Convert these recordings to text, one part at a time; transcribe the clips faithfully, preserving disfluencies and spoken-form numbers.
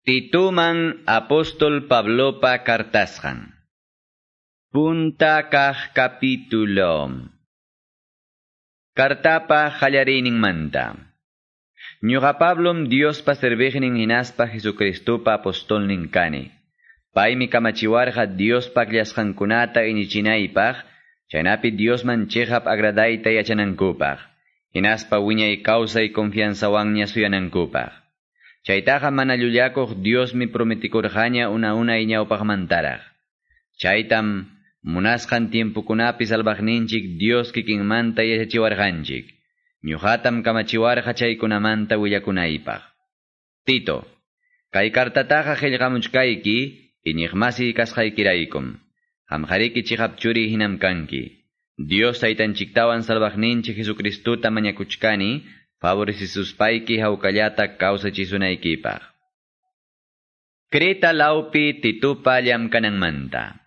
Tituman apóstol Pablopa kartasqan. Punta kaq capítulo. Kartapa qallariyninmanta. Ñuqa Pablom Diospa serviqnin hinaspa Jesucristopa apostolnin kani. Paymi kamachiwarqa Diospa akllasqankunata iñichinaypaq, chaynapi Diosman chiqap agradayta yachanankupaq, hinaspa wiñay kawsay confianzawanña suyanankupaq. Chaytaqa mana llullakuq Diosmi prometikurqaña una unay ñawpaqmantaraq. Chaytam munasqan tiempokunapi salvaqninchik Dios kikinmanta yachachiwarqanchik. Ñuqatam kamachiwarqa chaykunamanta willakunaypaq. Tito, kay kartataqa qillqamuchkayki iñiqmasi kasqaykiraykum. Qamqariki chiqap churi hinam kanki. Dios taytanchiktawan salvaqninchik Jesucristota mañakuchkani, favorecisuspayki hawkallata kawsachisunaykipaq. Creta lawpi Titupa llamkananmanta.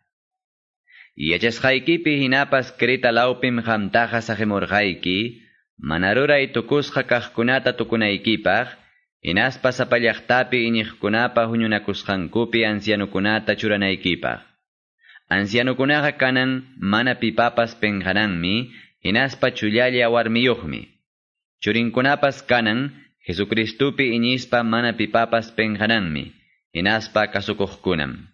Yachasqaykipi hinapas Creta lawpim qamtaqa saqimurqayki, mana ruray tukusqa kaqkunata tukunaykipaq, hinaspa sapa llaqtapi iñiqkunapa huñunakusqankupi ancianukunata churanaykipaq. Ancianukunaqa kanan mana pipapas penqananmi, hinaspa chullalla warmiyuqmi. Churinkunapas kanan Jesucristopi iñispa mana pipapas penqananmi, hinaspa kasukuqkunam.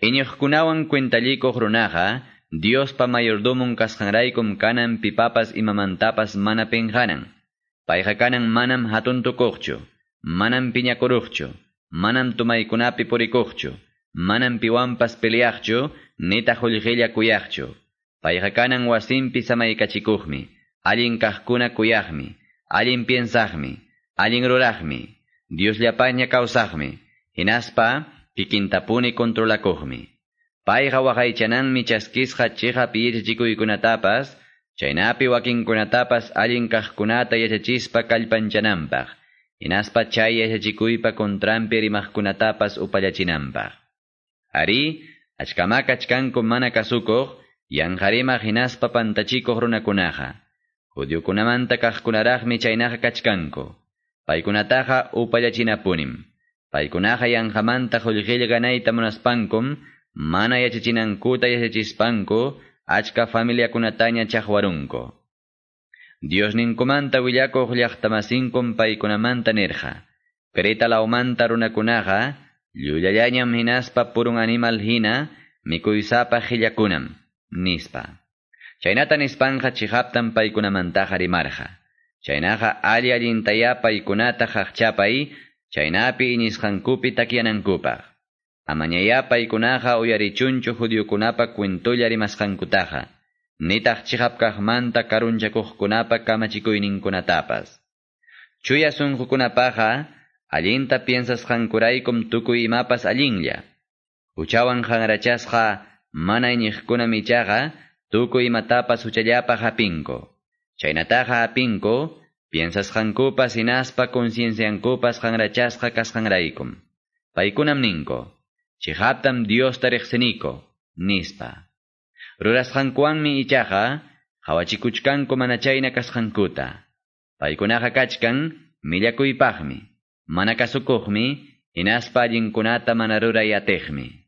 Iñiqkunawan cuentallikuq runaqa, Diospa mayordomon kasqanraykum kanan pipapas imamantapas mana penqanan. Payqa kanan manam hatun tukuqchu, manam piñakuruqchu, manam tumaykunapi purikuqchu, manam piwanpas peleaqchu, nitaq qullqilla kuyaqchu. Payqa kanan wasinpi samaykachikuqmi, allin kaqkuna kuyaqmi, allin piensaqmi, allin ruraqmi, Diosllapaña kawsaqmi, hinaspa kikintapuni controlakuqmi. Payqa waqaychananmi chaskisqa chiqap yachachikuykunatapas, chaynapi wakinkunatapas allin kaqkunata yachachispa kallpanchananpaq, hinaspa chay yachachikuypa contranpi rimaqkunatapas upallachinanpaq. Arí, achkama kachkanku mana kasukuq, yanqarimaq hinaspa pantachikuq runakunaqa. Judiokunamanta kaqkunaraqmi chaynaqa kachkanku. Paykunataqa upallachinapunim. Paykunaqa yanqamanta qullqilla ganayta munaspankum, mana yachachinankuta yachachispanku, achka familiakunataña chaqwarunku. Diosninkumanta willakuq llaqtamasinkum paykunamanta nirqa. Creta lawmanta runakunaqa, llullallañam hinaspa purun animal hina, mikuysapa qillakunam, nispa. Chaynata nispanqa chiqaptam paykunamantaqa rimarqa. Chaynaqa alli allintaya paykunata qaqchapay, chaynapi iñisqankupi takyanankupaq. Amañaya paykunaqa uyarichunchu judiokunapa cuentolla rimasqankutaqa, nitaq chiqap kaqmanta karunchakuqkunapa kamachikuyninkunatapas. Chuya sunqukunapaqa, allinta piensasqankuraykum tukuy imapas allinlla. Huchawan qanrachasqa mana iñiqkunam ichaqa, tukuy imatapas huchallapaq hapinku. Chaynataqa hapinku, piensasqankupas hinaspa concienciankupas qanrachasqa kasqanraykum. Paykunam ninku, chiqaptam Diosta riqsiniko, nispa. Rurasqankuwanmi ichaqa, qhawachikuchkanku mana chayna kasqankuta. Paykunaqa kachkan millakuypaqmi, mana kasukuqmi, hinaspa allinkunata mana ruray atiqmi.